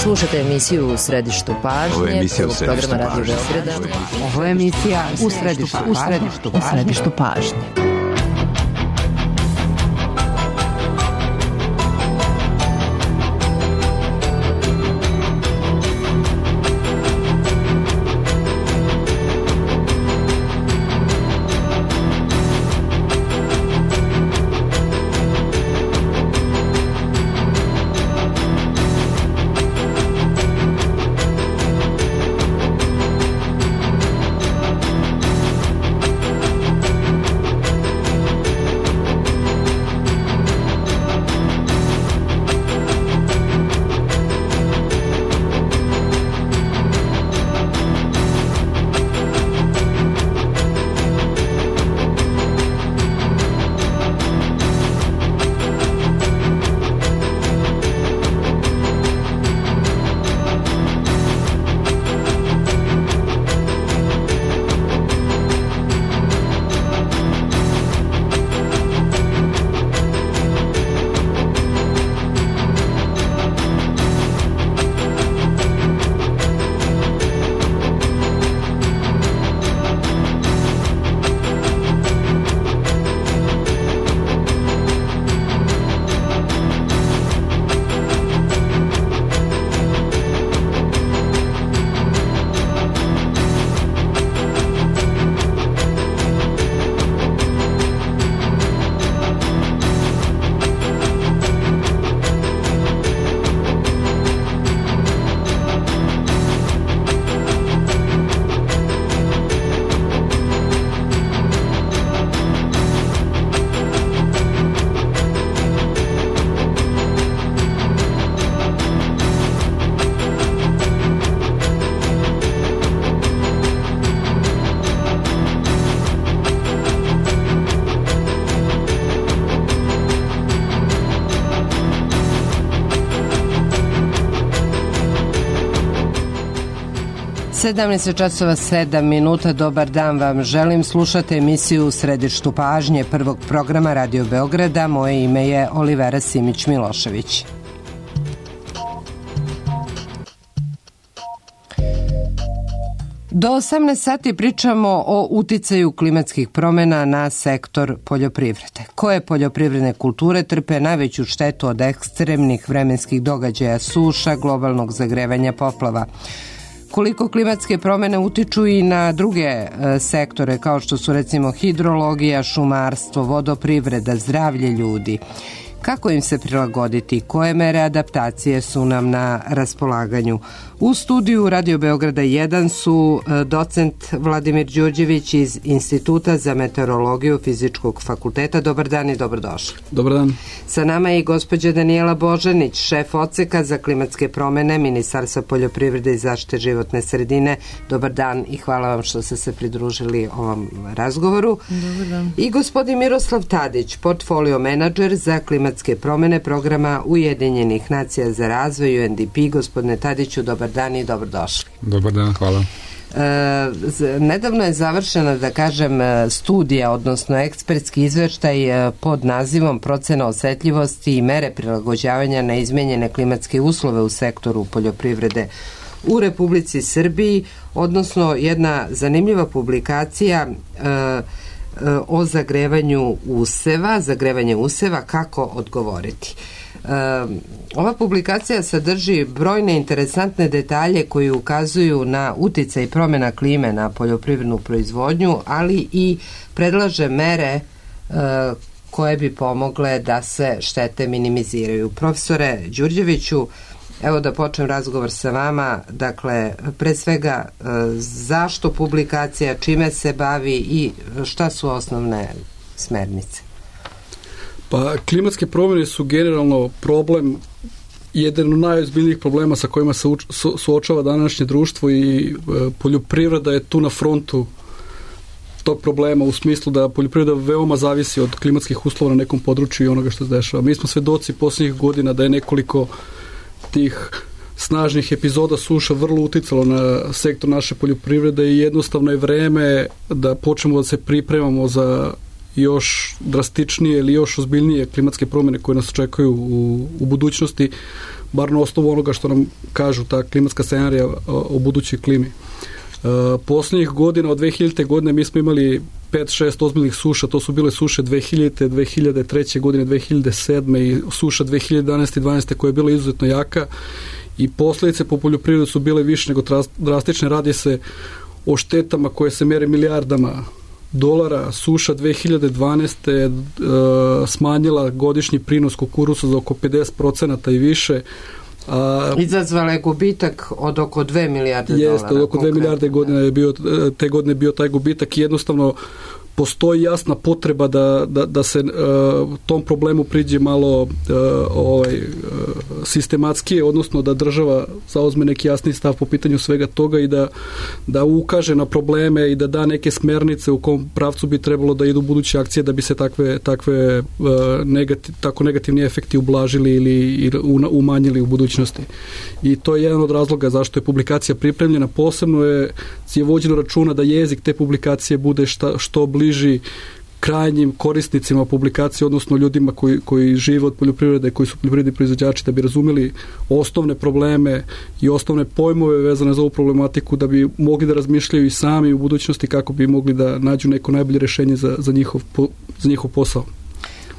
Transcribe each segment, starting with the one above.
Slušate emisiju U središtu pažnje. Ovo je emisija U središtu programa Radio pažnje. Beograda. Ovo je emisija U središtu pažnje. časova 7 minuta. Dobar dan vam želim. Slušate emisiju U središtu pažnje prvog programa Radio Beograda. Moje ime je Olivera Simić-Milošević. Do 18 sati pričamo o uticaju klimatskih promjena na sektor poljoprivrede. Koje poljoprivredne kulture trpe najveću štetu od ekstremnih vremenskih događaja, suša, globalnog zagrevanja, poplava? Koliko klimatske promjene utiču i na druge sektore kao što su recimo hidrologija, šumarstvo, vodoprivreda, zdravlje ljudi? Kako im se prilagoditi? Koje mere adaptacije su nam na raspolaganju? U studiju Radio Beograda 1 su docent Vladimir Đurđević iz Instituta za meteorologiju Fizičkog fakulteta. Dobar dan i dobrodošli. Dobar dan. Sa nama je i gospođa Danijela Božanić, šef odseka za klimatske promjene Ministarstva poljoprivrede i zaštite životne sredine. Dobar dan i hvala vam što ste se pridružili ovom razgovoru. Dobar dan. I gospodin Miroslav Tadić, portfolio menadžer za klimatske promjene programa Ujedinjenih nacija za razvoj UNDP. Gospodine Tadiću, dobar dan i dobrodošli. Dobar dan, hvala. Nedavno je završena, da kažem, studija, odnosno ekspertski izveštaj pod nazivom Procena osetljivosti i mere prilagođavanja na izmenjene klimatske uslove u sektoru poljoprivrede u Republici Srbiji, odnosno jedna zanimljiva publikacija o zagrevanju useva, kako odgovoriti. Ova publikacija sadrži brojne interesantne detalje koji ukazuju na uticaj promjena klime na poljoprivrednu proizvodnju, ali i predlaže mere koje bi pomogle da se štete minimiziraju. Profesore Đurđeviću, evo da počnem razgovor sa vama. Dakle, pre svega, zašto publikacija, čime se bavi i šta su osnovne smernice? Pa, klimatske promjene su generalno problem, jedan od najozbiljnijih problema sa kojima se suočava današnje društvo i poljoprivreda je tu na frontu tog problema u smislu da poljoprivreda veoma zavisi od klimatskih uslova na nekom području i onoga što se dešava. Mi smo svedoci posljednjih godina da je nekoliko tih snažnih epizoda suša vrlo uticalo na sektor naše poljoprivrede i jednostavno je vreme da počnemo da se pripremamo za još drastičnije ili još ozbiljnije klimatske promjene koje nas očekuju u budućnosti. bar na osnovu onoga što nam kažu ta klimatska scenarija o budućoj klimi. Posljednjih godina, od 2000. godine, mi smo imali 5-6 ozbiljnih suša, to su bile suše 2000. 2003. godine, 2007. i suša 2011. i 2012. koja je bila izuzetno jaka i posljedice po poljoprivredu su bile više nego drastične. Radi se o štetama koje se mere milijardama dolara. Suša 2012. Smanjila godišnji prinos kukuruza za oko 50% i više. Izazvala je gubitak od oko 2 milijarde dolara. Jeste, od oko 2 milijarde godina je bio, te godine bio taj gubitak i jednostavno postoji jasna potreba da se tom problemu priđe malo sistematskije, odnosno da država zauzme neki jasni stav po pitanju svega toga i da ukaže na probleme i da da neke smernice u kom pravcu bi trebalo da idu buduće akcije da bi se takve tako negativni efekti ublažili ili umanjili u budućnosti. I to je jedan od razloga zašto je publikacija pripremljena. Posebno je vođeno računa da jezik te publikacije bude što bliži krajnjim korisnicima publikacije, odnosno ljudima koji žive od poljoprivrede, koji su poljoprivredni proizvođači, da bi razumeli osnovne probleme i osnovne pojmove vezane za ovu problematiku, da bi mogli da razmišljaju i sami u budućnosti kako bi mogli da nađu neko najbolje rješenje za njihov posao.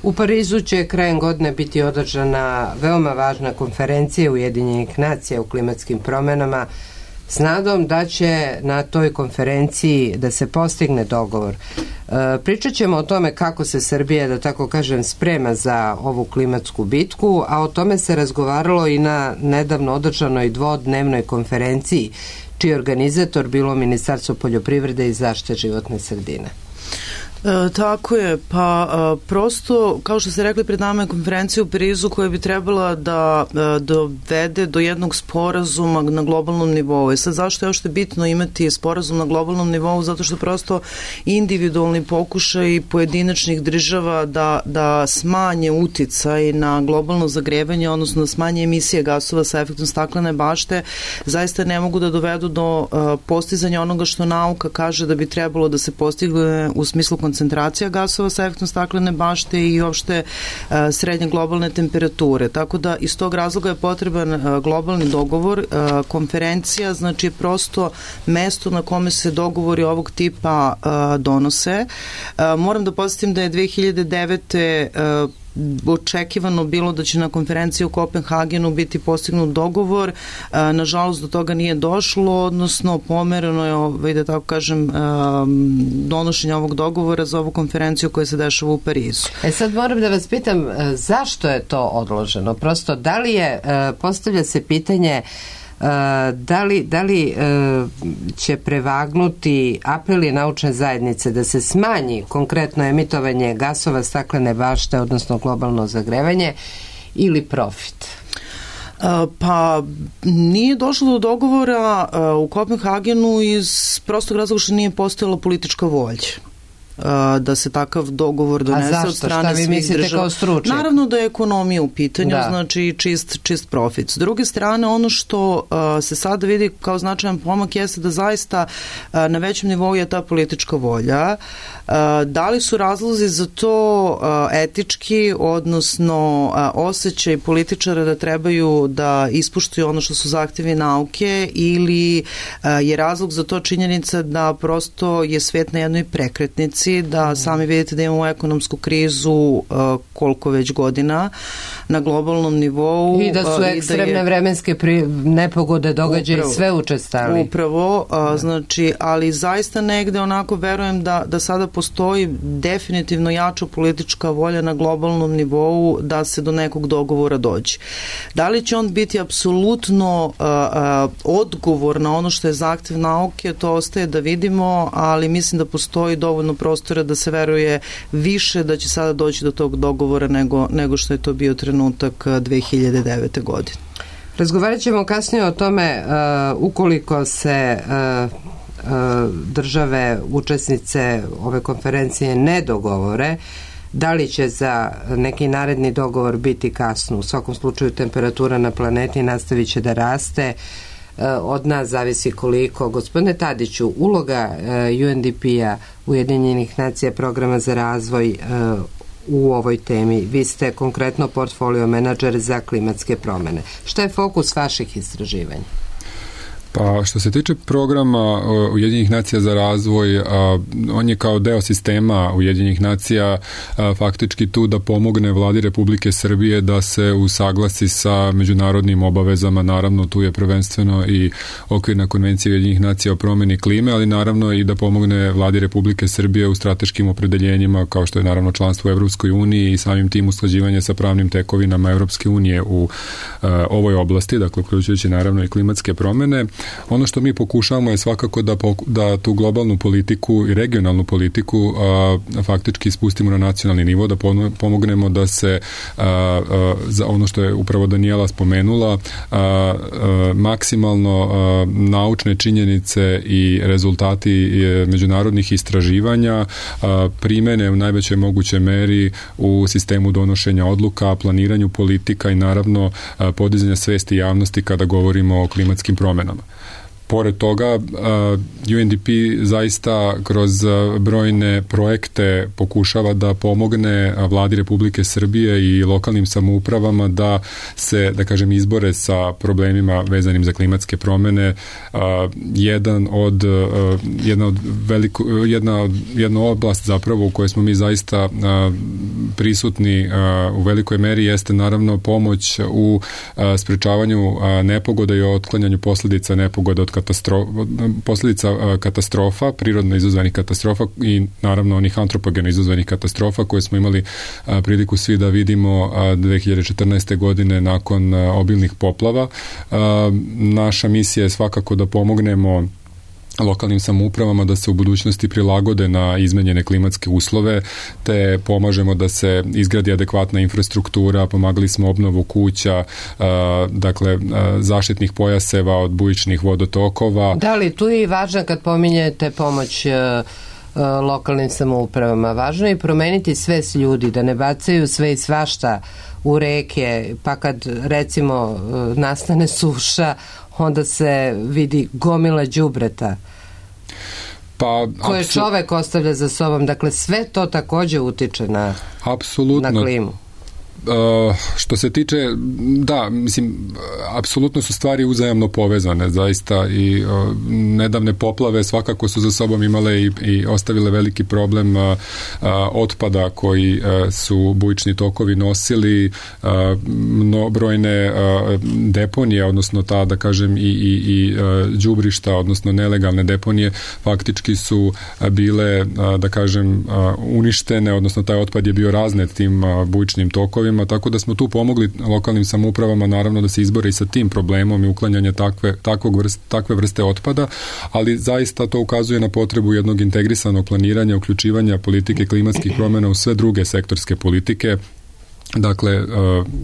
U Parizu će krajem godine biti održana veoma važna konferencija Ujedinjenih nacija u klimatskim promjenama s nadom da će na toj konferenciji da se postigne dogovor. Pričat ćemo o tome kako se Srbija, da tako kažem, sprema za ovu klimatsku bitku, a o tome se razgovaralo i na nedavno održanoj dvodnevnoj konferenciji, čiji je organizator bilo Ministarstvo poljoprivrede i zaštite životne sredine. Tako je, pa prosto, kao što ste rekli, pred nama je konferencija u Parizu koja bi trebala da dovede do jednog sporazuma na globalnom nivou. I sad zašto je još bitno imati sporazum na globalnom nivou? Zato što prosto individualni pokušaj pojedinačnih država da smanje uticaj na globalno zagrevanje, odnosno da smanje emisije gasova sa efektom staklene bašte, zaista ne mogu da dovedu do postizanja onoga što nauka kaže da bi trebalo da se postigne u smislu koncentracija gasova sa efektom staklene bašte i uopšte srednje globalne temperature. Tako da iz tog razloga je potreban globalni dogovor. Konferencija znači prosto mesto na kome se dogovori ovog tipa donose. Moram da podsjetim da je 2009. Očekivano bilo da će na konferenciji u Kopenhagenu biti postignut dogovor. Nažalost, do toga nije došlo, odnosno pomereno je, da tako kažem, donošenje ovog dogovora za ovu konferenciju koja se dešava u Parizu. Sad moram da vas pitam, zašto je to odloženo? Prosto, da li je, postavlja se pitanje da li će prevagnuti apeli naučne zajednice da se smanji konkretno emitovanje gasova staklene bašte, odnosno globalno zagrevanje, ili profit? Pa nije došlo do dogovora u Kopenhagenu iz prostog razloga što nije postojala politička volja da se takav dogovor donese od strane svih država. Naravno da je ekonomija u pitanju, znači čist profit. S druge strane, ono što se sada vidi kao značajan pomak jeste da zaista na većem nivou je ta politička volja. Da li su razlozi za to etički, odnosno osjećaj političara da trebaju da ispuštuju ono što su zahtjevi nauke, ili je razlog za to činjenica da prosto je svet na jednoj prekretnici, da sami vidite da imamo ekonomsku krizu koliko već godina na globalnom nivou. I da su ekstremne vremenske nepogode, događaje sve učestali. Upravo, znači, ali zaista negde onako verujem da sada postoji definitivno jača politička volja na globalnom nivou da se do nekog dogovora dođe. Da li će on biti apsolutno odgovor na ono što je zahtjev nauke, to ostaje da vidimo, ali mislim da postoji dovoljno prostora da se veruje više da će sada doći do tog dogovora nego što je to bio trenutak 2009. godine. Razgovarat ćemo kasnije o tome ukoliko se države učesnice ove konferencije ne dogovore, da li će za neki naredni dogovor biti kasno. U svakom slučaju temperatura na planeti nastavit će da raste. Od nas zavisi koliko. Gospodine Tadiću, uloga UNDP-a, Ujedinjenih nacija, programa za razvoj u ovoj temi? Vi ste konkretno portfolio menadžer za klimatske promene. Šta je fokus vaših istraživanja? Pa što se tiče programa Ujedinjenih nacija za razvoj, on je kao deo sistema Ujedinjenih nacija faktički tu da pomogne vladi Republike Srbije da se usaglasi sa međunarodnim obavezama. Naravno, tu je prvenstveno i okvirna konvencija Ujedinjenih nacija o promeni klime, ali naravno i da pomogne vladi Republike Srbije u strateškim opredeljenjima, kao što je naravno članstvo u Evropskoj uniji i samim tim usklađivanje sa pravnim tekovinama Evropske unije u ovoj oblasti, dakle uključujući naravno i klimatske promene. Ono što mi pokušavamo je svakako da tu globalnu politiku i regionalnu politiku faktički spustimo na nacionalni nivo, da pomognemo da se za ono što je upravo Danijela spomenula, maksimalno naučne činjenice i rezultati međunarodnih istraživanja primene u najvećoj mogućoj meri u sistemu donošenja odluka, planiranju politika i naravno podizanja svesti javnosti kada govorimo o klimatskim promenama. Pored toga, UNDP zaista kroz brojne projekte pokušava da pomogne vladi Republike Srbije i lokalnim samoupravama da se, da kažem, izbore sa problemima vezanim za klimatske promene. Jedna oblast zapravo u kojoj smo mi zaista prisutni u velikoj meri jeste naravno pomoć u sprečavanju nepogoda i otklanjanju posljedica nepogoda od posljedica katastrofa, prirodno izazvanih katastrofa i naravno onih antropogeno izazvanih katastrofa koje smo imali priliku svi da vidimo 2014. godine nakon obilnih poplava. Naša misija je svakako da pomognemo lokalnim samoupravama da se u budućnosti prilagode na izmenjene klimatske uslove, te pomažemo da se izgradi adekvatna infrastruktura, pomagali smo obnovu kuća, dakle zaštitnih pojaseva od bujičnih vodotokova. Da li tu je i važno kad pominjete pomoć lokalnim samoupravama, važno je promeniti svest ljudi, da ne bacaju sve i svašta u reke, pa kad recimo nastane suša, onda se vidi gomila đubreta koje čovek ostavlja za sobom. Dakle, sve to takođe utiče na klimu. Što se tiče, da, mislim, apsolutno su stvari uzajamno povezane, zaista, i nedavne poplave svakako su za sobom imale i ostavile veliki problem otpada koji su bujični tokovi nosili, brojne deponije, odnosno ta, da kažem, i đubrišta, odnosno nelegalne deponije, faktički su bile, da kažem, uništene, odnosno taj otpad je bio raznet tim bujičnim tokovima, tako da smo tu pomogli lokalnim samoupravama naravno da se izbore i sa tim problemom i uklanjanje takve vrste otpada, ali zaista to ukazuje na potrebu jednog integrisanog planiranja, uključivanja politike klimatskih promjena u sve druge sektorske politike. Dakle,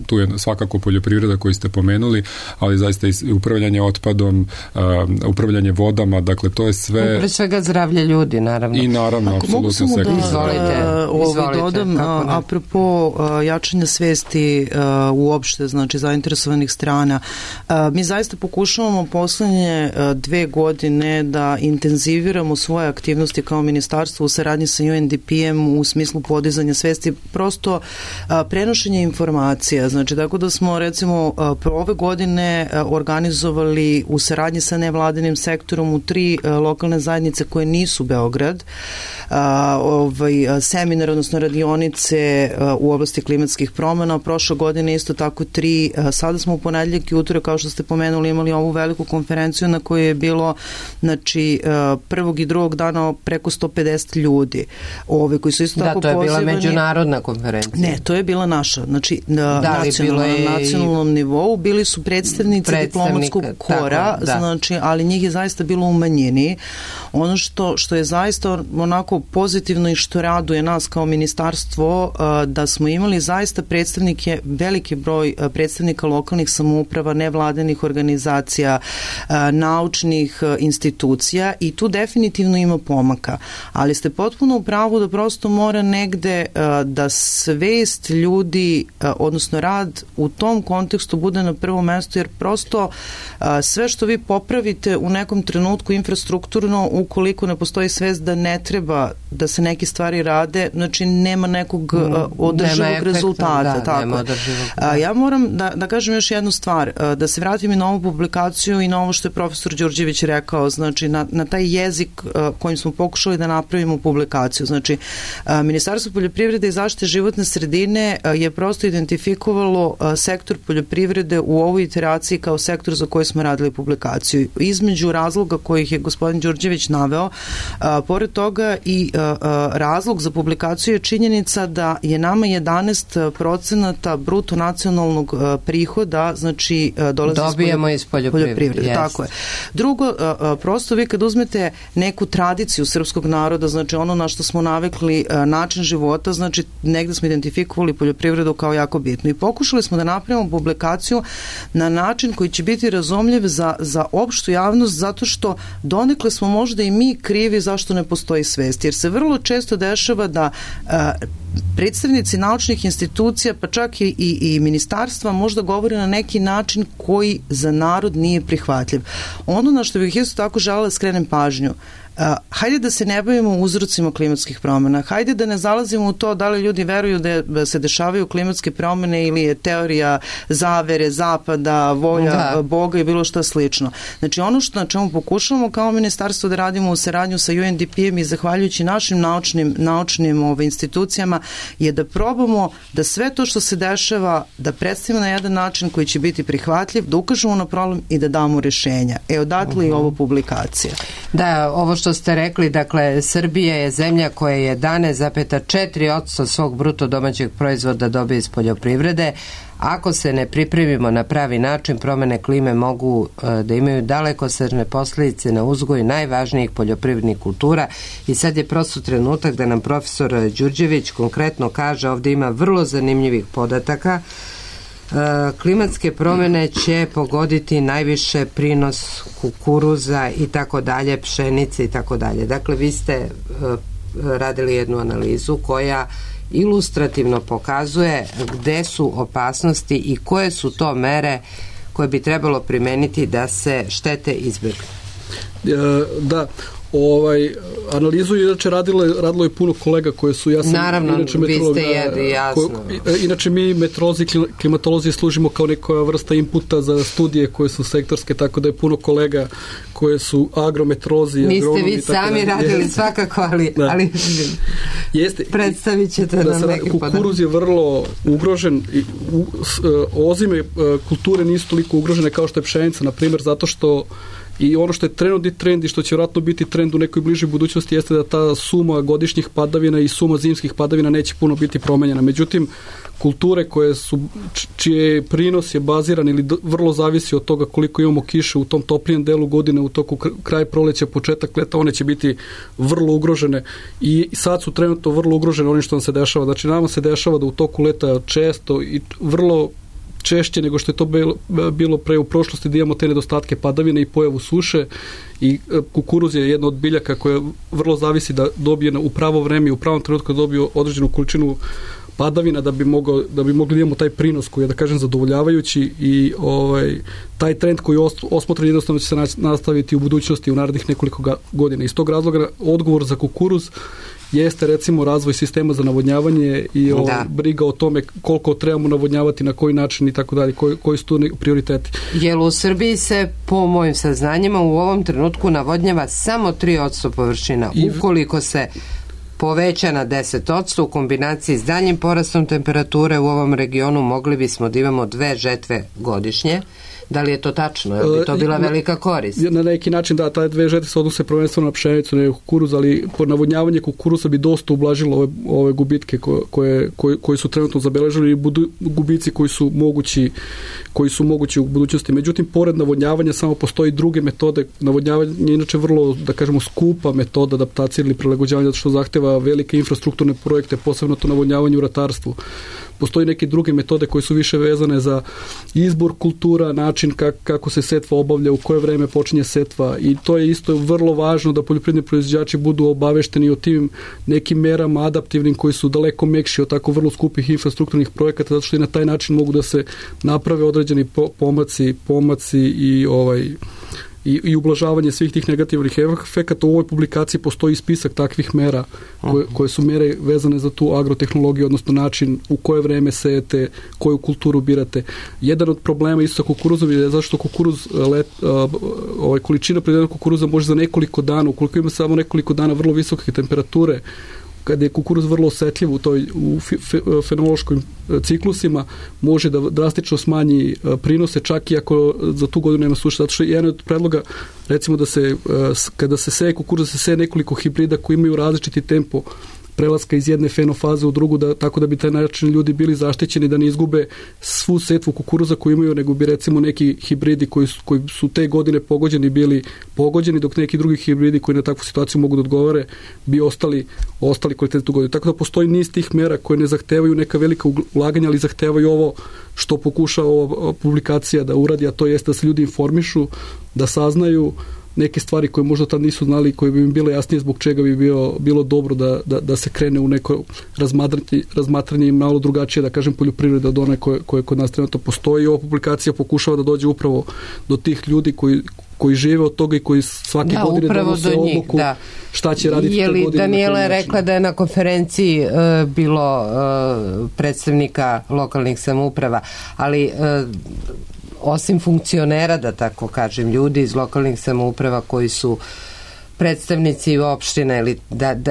tu je svakako poljoprivreda koju ste pomenuli, ali zaista i upravljanje otpadom, upravljanje vodama, dakle to je sve... Pre svega zdravlje ljudi, naravno. I naravno, apsolutno sve. Izvolite. Dodam, apropo jačanja svesti uopšte, znači zainteresovanih strana, mi zaista pokušavamo poslednje 2 godine da intenziviramo svoje aktivnosti kao ministarstvo u saradnji sa UNDP-em u smislu podizanja svesti, prosto prenošenje informacija, znači tako da smo recimo ove godine organizovali u saradnji sa nevladinim sektorom u 3 lokalne zajednice koje nisu Beograd, seminar, odnosno radionice u oblasti klimatskih promjena. Prošle godine isto tako 3, sada smo u ponedeljak i utorak, kao što ste pomenuli, imali ovu veliku konferenciju na kojoj je bilo, znači, prvog i drugog dana preko 150 ljudi, koji su isto tako pozivani. Da, to je bila međunarodna konferencija. Ne, to je bila naša, znači na nacionalnom nivou bili su predstavnici diplomatskog kora, znači, ali njih je zaista bilo u manjini. Ono što je zaista onako pozitivno i što raduje nas kao ministarstvo, da smo imali zaista predstavnike, veliki broj predstavnika lokalnih samouprava, nevladinih organizacija, naučnih institucija, i tu definitivno ima pomaka. Ali ste potpuno u pravu da prosto mora negde da svest ljudi, odnosno rad u tom kontekstu bude na prvom mestu, jer prosto sve što vi popravite u nekom trenutku infrastrukturno, ukoliko ne postoji svest da ne treba da se neke stvari rade, znači nema nekog održivog rezultata. Tako. Nema održivog. Ja moram da kažem još jednu stvar, da se vratim i na ovu publikaciju i na ovo što je profesor Đurđević rekao, znači na taj jezik kojim smo pokušali da napravimo publikaciju. Znači, Ministarstvo poljoprivrede i zaštite životne sredine je prosto identifikovalo sektor poljoprivrede u ovoj iteraciji kao sektor za koji smo radili publikaciju. Između razloga kojih je gospodin Đurđević naveo, pored toga i razlog za publikaciju je činjenica da je nama 11% bruto nacionalnog prihoda, znači dobijemo iz poljoprivrede. Yes. Tako je. Drugo, prosto vi kad uzmete neku tradiciju srpskog naroda, znači ono na što smo navikli, način života, znači negde smo identifikovali poljoprivredu kao jako bitno i pokušali smo da napravimo publikaciju na način koji će biti razumljiv za opštu javnost, zato što donekle smo možda i mi krivi zašto ne postoji svest, jer se vrlo često dešava da predstavnici naučnih institucija, pa čak i ministarstva možda govore na neki način koji za narod nije prihvatljiv. Ono na što bih isto tako želela da skrenem pažnju, hajde da se ne bavimo uzrocima klimatskih promjena, hajde da ne zalazimo u to da li ljudi veruju da se dešavaju klimatske promjene ili je teorija zavere, zapada, volja Boga i bilo što slično. Znači ono na čemu pokušavamo kao ministarstvo da radimo u saradnju sa UNDP-em i zahvaljujući našim naučnim institucijama je da probamo da sve to što se dešava da predstavimo na jedan način koji će biti prihvatljiv, da ukažemo na problem i da damo rješenja. Odatle i ovo publikacija. Da, ovo što ste rekli, dakle, Srbija je zemlja koja je 11,4% svog bruto domaćeg proizvoda dobije iz poljoprivrede. Ako se ne pripremimo na pravi način, promjene klime mogu da imaju dalekosežne posljedice na uzgoj najvažnijih poljoprivrednih kultura i sad je prosto trenutak da nam profesor Đurđević konkretno kaže, ovdje ima vrlo zanimljivih podataka. Klimatske promjene će pogoditi najviše prinos kukuruza i tako dalje, pšenice i tako dalje. Dakle, vi ste radili jednu analizu koja ilustrativno pokazuje gde su opasnosti i koje su to mere koje bi trebalo primeniti da se štete izbjegnu. Da, analizu inače radilo je puno kolega koje su, ja sam naravno, inače vi ste jasno. Inače mi meteorolozi, klimatolozi služimo kao neka vrsta inputa za studije koje su sektorske, tako da je puno kolega koje su agrometeorolozi, niste vi sami radili svakako, ali predstavit ćete nam neki podatak. Kukuruz je vrlo ugrožen i ozime kulture nisu toliko ugrožene kao što je pšenica, na primjer, zato što i ono što je trenutni trend i što će vjerojatno biti trend u nekoj bližoj budućnosti jeste da ta suma godišnjih padavina i suma zimskih padavina neće puno biti promenjena. Međutim, kulture čije prinos je baziran ili vrlo zavisi od toga koliko imamo kiše u tom toplijem delu godine, u toku kraj proleća, početak leta, one će biti vrlo ugrožene i sad su trenutno vrlo ugrožene onim što nam se dešava. Znači, nama se dešava da u toku leta često i vrlo češće nego što je to bilo pre u prošlosti da imamo te nedostatke padavine i pojavu suše i kukuruz je jedna od biljaka koja vrlo zavisi da dobije u pravo vreme i u pravom trenutku da dobije određenu količinu padavina da bi mogli da imamo taj prinos koji je, da kažem, zadovoljavajući i taj trend koji je osmotren jednostavno će se nastaviti u budućnosti u narednih nekoliko godina. Iz tog razloga odgovor za kukuruz jeste recimo razvoj sistema za navodnjavanje i briga o tome koliko trebamo navodnjavati, na koji način i tako dalje, koji su tu prioriteti. Jer u Srbiji se, po mojim saznanjima, u ovom trenutku navodnjava samo 3% površina. Ukoliko se poveća na 10% u kombinaciji s daljim porastom temperature u ovom regionu, mogli bismo da imamo 2 žetve godišnje. Da li je to tačno? Je li to bila velika korist? Na neki način da, taj 2 žetve se odnose prvenstveno na pšenicu, ne kukuruz, ali po navodnjavanje kukuruza bi dosta ublažilo ove gubitke koji su trenutno zabeležili i gubici koji su mogući u budućnosti. Međutim, pored navodnjavanja samo postoji druge metode. Navodnjavanje je inače vrlo, da kažemo, skupa metoda adaptacije ili prilagođavanja, zato što zahteva velike infrastrukturne projekte, posebno to navodnjavanje u ratarstvu. Postoji neke druge metode koje su više vezane za izbor kultura, način kako se setva obavlja, u koje vreme počinje setva i to je isto vrlo važno da poljoprivredni proizvođači budu obavešteni o tim nekim merama adaptivnim koji su daleko mekši od tako vrlo skupih infrastrukturnih projekata, zato što i na taj način mogu da se naprave određeni pomaci i i ublažavanje svih tih negativnih efekata. U ovoj publikaciji postoji spisak takvih mera koje su mere vezane za tu agrotehnologiju, odnosno način u koje vreme sejete, koju kulturu birate. Jedan od problema isto sa kukuruzom je zašto kukuruz količina proizvedenog kukuruza može za nekoliko dana, ukoliko ima samo nekoliko dana vrlo visoke temperature, kada je kukuruz vrlo osetljiv u fenološkim ciklusima, može da drastično smanji prinose, čak i ako za tu godinu nema suše. Zato što je jedan od predloga, recimo da se, kada se seje kukuruz, se seje nekoliko hibrida koji imaju različiti tempo prelaska iz jedne fenofaze u drugu, tako da bi taj način ljudi bili zaštićeni da ne izgube svu setvu kukuruza koju imaju, nego bi recimo neki hibridi koji su te godine bili pogođeni, dok neki drugi hibridi koji na takvu situaciju mogu da odgovore bi ostali kvalitetni tu godinu. Tako da postoji niz tih mera koje ne zahtevaju neka velika ulaganja, ali zahtevaju ovo što pokuša ova publikacija da uradi, a to jeste da se ljudi informišu, da saznaju neke stvari koje možda tad nisu znali i koje bi im bile jasnije zbog čega bi bilo dobro da se krene u neko razmatranje i malo drugačije, da kažem, poljoprivreda od one koje kod nas trenutno postoji. Ova publikacija pokušava da dođe upravo do tih ljudi koji žive od toga i koji svake godine donose odluku šta će raditi te godine. Daniela je rekla da je na konferenciji bilo predstavnika lokalnih samouprava, ali osim funkcionera, da tako kažem, ljudi iz lokalnih samouprava koji su predstavnici opštine, ili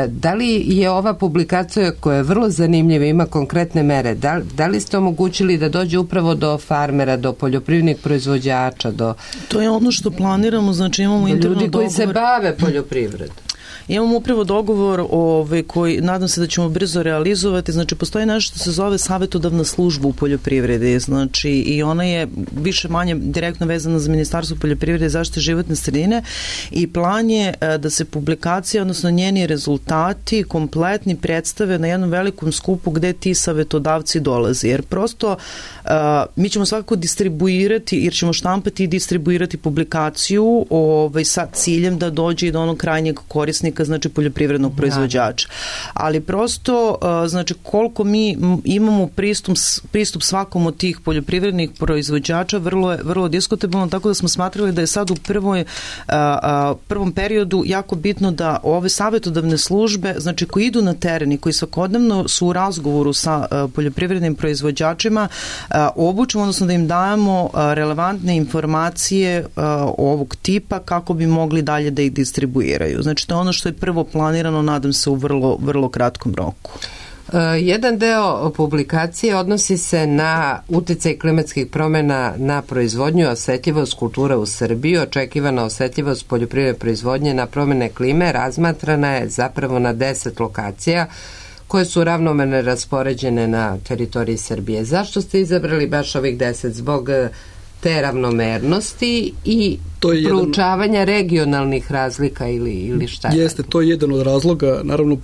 da li je ova publikacija koja je vrlo zanimljiva, ima konkretne mere, da li ste omogućili da dođe upravo do farmera, do poljoprivrednih proizvođača, To je ono što planiramo, znači imamo interno ljudi koji se bave poljoprivredom. Imamo upravo dogovor koji nadam se da ćemo brzo realizovati. Znači postoji nešto što se zove savetodavna služba u poljoprivredi, znači i ona je više manje direktno vezana za Ministarstvo poljoprivrede i zaštite životne sredine i plan je da se publikacija, odnosno njeni rezultati kompletni predstave na jednom velikom skupu gde ti savetodavci dolaze, jer prosto mi ćemo svakako distribuirati, jer ćemo štampati i distribuirati publikaciju sa ciljem da dođe i do onog krajnjeg korisnika, znači poljoprivrednog proizvođača. Ali prosto, znači koliko mi imamo pristup svakom od tih poljoprivrednih proizvođača vrlo diskutabilno, tako da smo smatrali da je sad u prvom periodu jako bitno da ove savetodavne službe, znači koji idu na teren i koji svakodnevno su u razgovoru sa poljoprivrednim proizvođačima, obučimo, odnosno da im dajemo relevantne informacije ovog tipa kako bi mogli dalje da ih distribuiraju. Znači to je ono što je prvo planirano, nadam se u vrlo kratkom roku. Jedan deo publikacije odnosi se na uticaj klimatskih promjena na proizvodnju, osetljivost kultura u Srbiji. Očekivana osetljivost poljoprivredne proizvodnje na promjene klime razmatrana je zapravo na 10 lokacija koje su ravnomerne raspoređene na teritoriji Srbije. Zašto ste izabrali baš ovih 10? Zbog te ravnomernosti i proučavanja regionalnih razlika ili šta? Jeste, to je jedan od razloga. Naravno,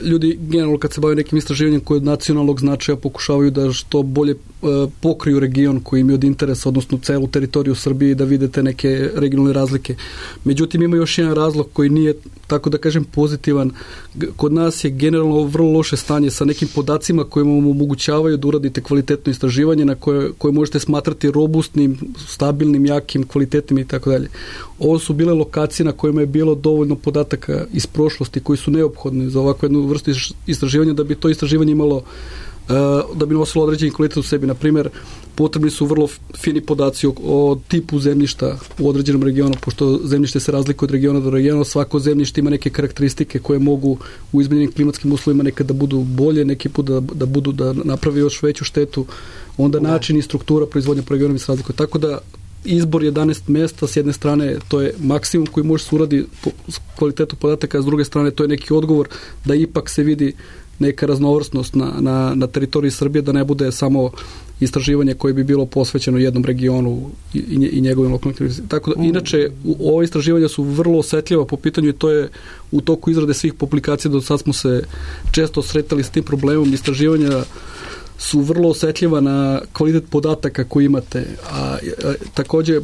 ljudi generalno kad se bave nekim istraživanjem koje od nacionalnog značaja pokušavaju da što bolje pokriju region koji im je od interesa, odnosno celu teritoriju Srbije i da vidite neke regionalne razlike. Međutim, ima još jedan razlog koji nije, tako da kažem, pozitivan. Kod nas je generalno vrlo loše stanje sa nekim podacima koji vam omogućavaju da uradite kvalitetno istraživanje na koje možete smatrati robustnim, stabilnim, jakim, kvalitetnim i tako dalje. Ovo su bile lokacije na kojima je bilo dovoljno podataka iz prošlosti koji su neophodni za ovakvu jednu vrstu istraživanja da bi to istraživanje imalo, da bi nosilo određeni kvalitet u sebi. Na primjer, potrebni su vrlo fini podaci o tipu zemljišta u određenom regionu, pošto zemljište se razlikuje od regiona do regiona, svako zemljište ima neke karakteristike koje mogu u izmenjenim klimatskim uslovima nekad da budu bolje, neki put da napravi još veću štetu, onda način i struktura proizvodnja po regionu se razlikuje. Tako da izbor 11 mjesta, s jedne strane to je maksimum koji može se uradi po kvalitetu podataka, a s druge strane to je neki odgovor da ipak se vidi neka raznovrsnost na teritoriji Srbije, da ne bude samo istraživanje koje bi bilo posvećeno jednom regionu i njegovim lokalnim. Tako da, inače, ova istraživanja su vrlo osetljiva po pitanju i to je u toku izrade svih publikacija, do sad smo se često sretali s tim problemom. Istraživanja su vrlo osetljiva na kvalitet podataka koji imate, a takođe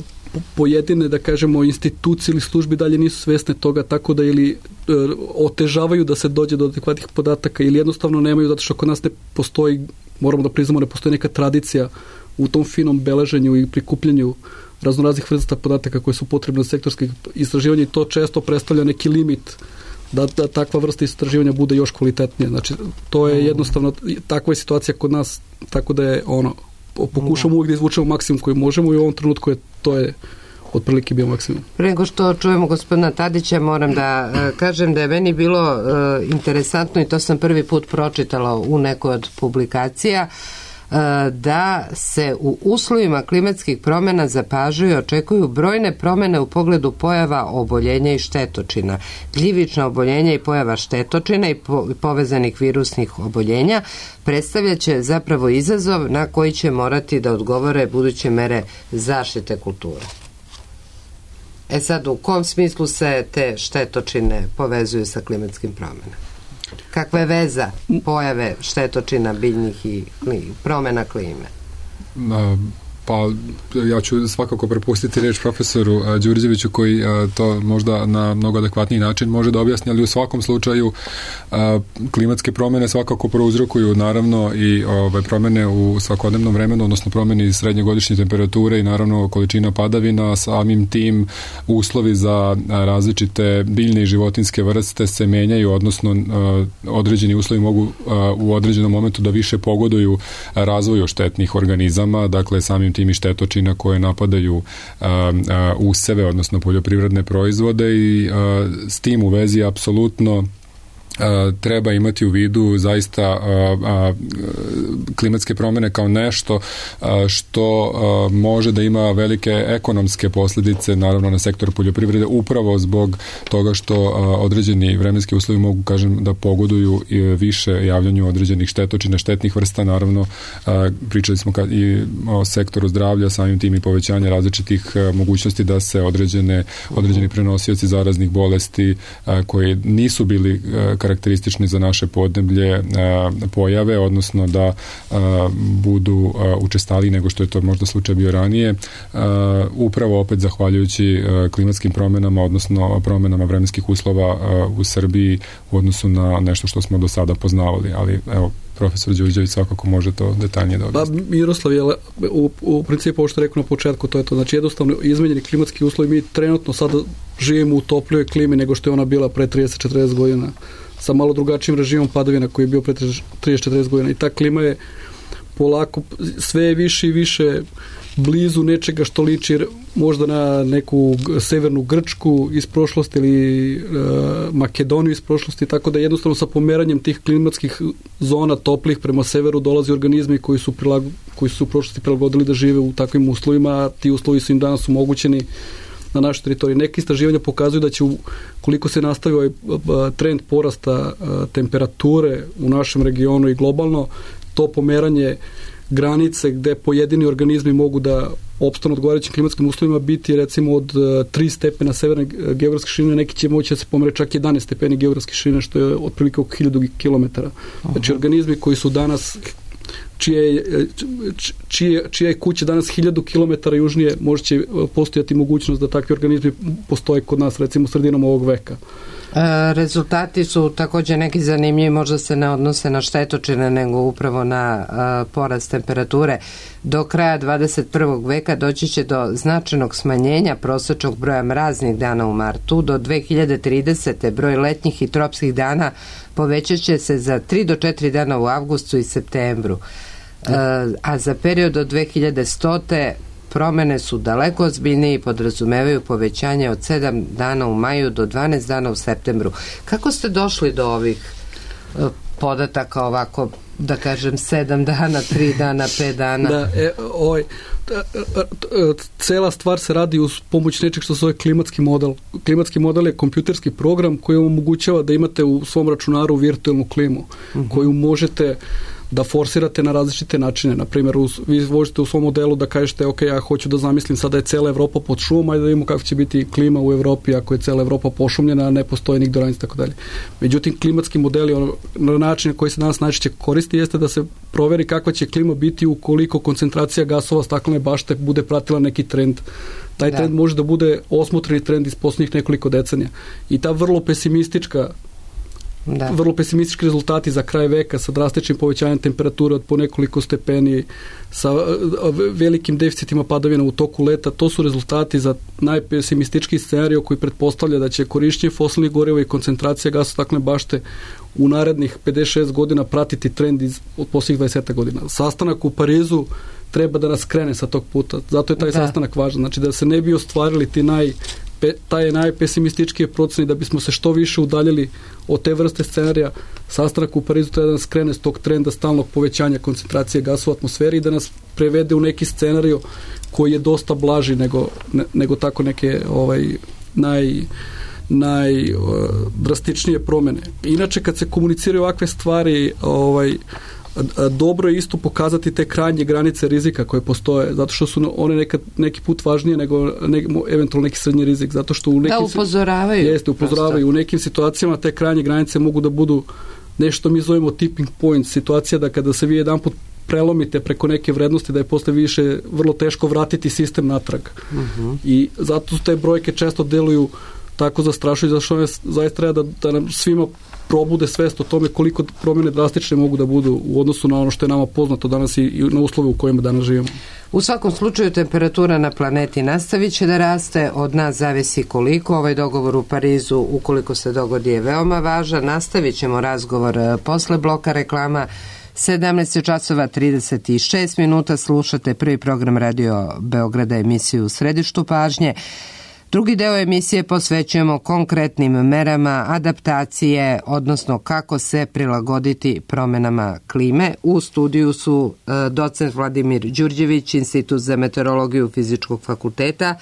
pojedine, da kažemo, institucije ili službi dalje nisu svesne toga, tako da ili otežavaju da se dođe do adekvatnih podataka ili jednostavno nemaju, zato što kod nas ne postoji, moramo da priznamo, ne postoji neka tradicija u tom finom beleženju i prikupljanju raznoraznih vrsta podataka koje su potrebne za sektorske istraživanja i to često predstavlja neki limit da takva vrsta istraživanja bude još kvalitetnija. Znači, to je jednostavno, takva je situacija kod nas, tako da je pokušamo uvijek da izvučemo maksimum koji možemo i u ovom trenutku to je otprilike bio maksimum. Pre nego što čujemo gospodina Tadića, moram da kažem da je meni bilo interesantno i to sam prvi put pročitala u nekoj od publikacija, da se u uslovima klimatskih promjena zapažaju i očekuju brojne promjene u pogledu pojava oboljenja i štetočina. Gljivična oboljenja i pojava štetočina i povezanih virusnih oboljenja predstavljaće zapravo izazov na koji će morati da odgovore buduće mere zaštite kulture. Sad, u kom smislu se te štetočine povezuju sa klimatskim promjenama? Kakva je veza pojave štetočina biljnih i promjena klime? Pa ja ću svakako prepustiti reč profesoru Đurđeviću koji to možda na mnogo adekvatniji način može da objasni, ali u svakom slučaju klimatske promjene svakako prouzrokuju naravno i promjene u svakodnevnom vremenu, odnosno promjene srednjegodišnje temperature i naravno količina padavina, samim tim uslovi za različite biljne i životinjske vrste se menjaju, odnosno određeni uslovi mogu u određenom momentu da više pogoduju razvoju štetnih organizama, dakle samim tim i štetočina koje napadaju useve, odnosno poljoprivredne proizvode i s tim u vezi apsolutno treba imati u vidu zaista klimatske promjene kao nešto što može da ima velike ekonomske posljedice naravno na sektor poljoprivrede upravo zbog toga što određeni vremenski uslovi mogu, kažem, da pogoduju više javljanju određenih štetočina, štetnih vrsta, naravno pričali smo i o sektoru zdravlja, samim tim i povećanje različitih mogućnosti da se određeni prenosioci zaraznih bolesti koji nisu bili karakteristični za naše podneblje pojave, odnosno da budu učestaliji nego što je to možda slučaj bio ranije, upravo opet zahvaljujući klimatskim promjenama, odnosno promjenama vremenskih uslova u Srbiji u odnosu na nešto što smo do sada poznavali, ali evo, profesor Đurđević svakako može to detaljnije da objasni. Pa Miroslav je u principu ovo što rekao na početku, to je to, znači jednostavno izmenjeni klimatski uslovi, mi trenutno sada živimo u toplijoj klimi nego što je ona bila pre 30-40 godina, sa malo drugačijim režimom padavina koji je bio pre 30-40 godina i ta klima je polako sve više i više blizu nečega što liči možda na neku severnu Grčku iz prošlosti ili Makedoniju iz prošlosti, tako da jednostavno sa pomeranjem tih klimatskih zona toplih prema severu dolazi organizmi koji su u prošlosti prilagodili da žive u takvim uslovima, a ti uslovi su im danas omogućeni na našoj teritoriji. Neke istraživanja pokazuju da će koliko se nastavi ovaj trend porasta temperature u našem regionu i globalno, to pomeranje granice gde pojedini organizmi mogu da opstanu odgovarajućim klimatskim uslovima biti recimo od 3 stepena severne geografske širine, neki će moći da se pomere čak 11 stepeni geografske širine, što je otprilike oko 1000 km. Znači organizmi koji su danas čija je kuća danas 1000 km južnije, može će postojati mogućnost da takvi organizmi postoje kod nas recimo sredinom ovog veka. Rezultati su također neki zanimljivi, možda se ne odnose na štetočine nego upravo na porast temperature. Do kraja 21. veka doći će do značajnog smanjenja prosječnog broja mraznih dana u martu. Do 2030. broj letnjih i tropskih dana povećat će se za 3 do 4 dana u avgustu i septembru. A za period od 2100. promjene su daleko ozbiljnije i podrazumevaju povećanje od 7 dana u maju do 12 dana u septembru. Kako ste došli do ovih podataka ovako, da kažem, 7 dana, 3 dana, 5 dana? Cela stvar se radi uz pomoć nečeg što se zove klimatski model. Klimatski model je kompjuterski program koji omogućava da imate u svom računaru virtualnu klimu koju možete da forsirate na različite načine. Naprimjer, vi možete u svom modelu da kažete, ok, ja hoću da zamislim sada je cela Evropa pod šumom, ajde da vidimo kako će biti klima u Evropi ako je cela Evropa pošumljena, a ne postoje nigde granice, tako dalje. Međutim, klimatski modeli, na način na koji se danas najčešće koristi, jeste da se proveri kakva će klima biti ukoliko koncentracija gasova staklene bašte bude pratila neki trend. Taj trend može da bude osmotreni trend iz posljednjih nekoliko decenija. I ta vrlo pesimistička vrlo pesimistički rezultati za kraj veka sa drastičnim povećanjem temperature od po nekoliko stepeni, sa velikim deficitima padavina u toku leta. To su rezultati za najpesimistički scenarij koji pretpostavlja da će korišćenje fosilnih goriva i koncentracija gasa staklene bašte u narednih 56 godina pratiti trend od posljednjih 20 godina. Sastanak u Parizu treba da nas krene sa tog puta. Zato je taj sastanak važan. Znači da se ne bi ostvarili taj najpesimističkije procene, da bismo se što više udaljili od te vrste scenarija. Sastanak u Parizu treba da nas krene s tog trenda stalnog povećanja koncentracije gasa u atmosferi i da nas prevede u neki scenarij koji je dosta blaži nego tako neke najdrastičnije promene. Inače, kad se komuniciraju ovakve stvari, dobro je isto pokazati te krajnje granice rizika koje postoje, zato što su one neki put važnije nego eventualno neki srednji rizik, zato što upozoravaju. U nekim situacijama te krajnje granice mogu da budu nešto mi zovemo tipping point, situacija da kada se vi jedanput prelomite preko neke vrednosti, da je posle više vrlo teško vratiti sistem natrag. I zato te brojke često deluju tako zastrašuju, zašto one zaista treba da nam svima probude svest o tome koliko promjene drastične mogu da budu u odnosu na ono što je nama poznato danas i na uslove u kojima danas živimo. U svakom slučaju temperatura na planeti nastavit će da raste, od nas zavisi koliko. Ovaj dogovor u Parizu, ukoliko se dogodi, je veoma važan. Nastavit ćemo razgovor posle bloka reklama. 17:36 slušate prvi program Radio Beograda, emisiju U središtu pažnje. Drugi deo emisije posvećujemo konkretnim merama adaptacije, odnosno kako se prilagoditi promjenama klime. U studiju su docent Vladimir Đurđević, Institut za meteorologiju Fizičkog fakulteta,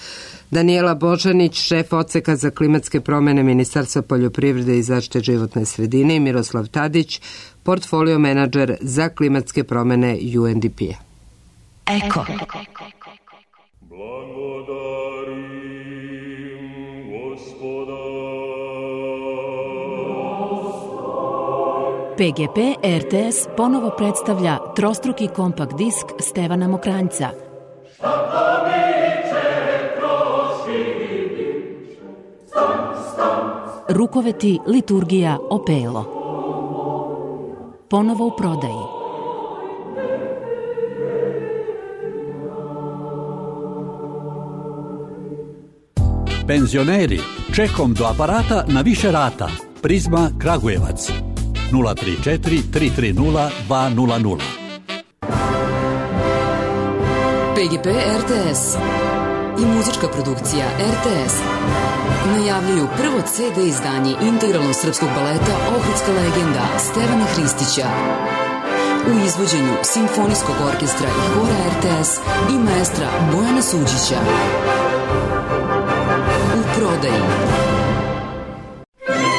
Danijela Božanić, šef odseka za klimatske promjene Ministarstva poljoprivrede i zaštite životne sredine, i Miroslav Tadić, portfolio menadžer za klimatske promjene UNDP-a. Eko. PGP RTS ponovo predstavlja trostruki kompakt disk Stevana Mokranjca. Rukoveti, liturgija, opelo. Ponovo u prodaji. Penzioneri, čekom do aparata na više rata. Prizma Kragujevac. 034 330 200. PGP RTS i muzička produkcija RTS najavljuju prvo CD izdanje integralnog srpskog baleta Ohridska legenda Stevana Hristića u izvođenju Simfonijskog orkestra i hora RTS i maestra Bojana Suđića. U prodaji.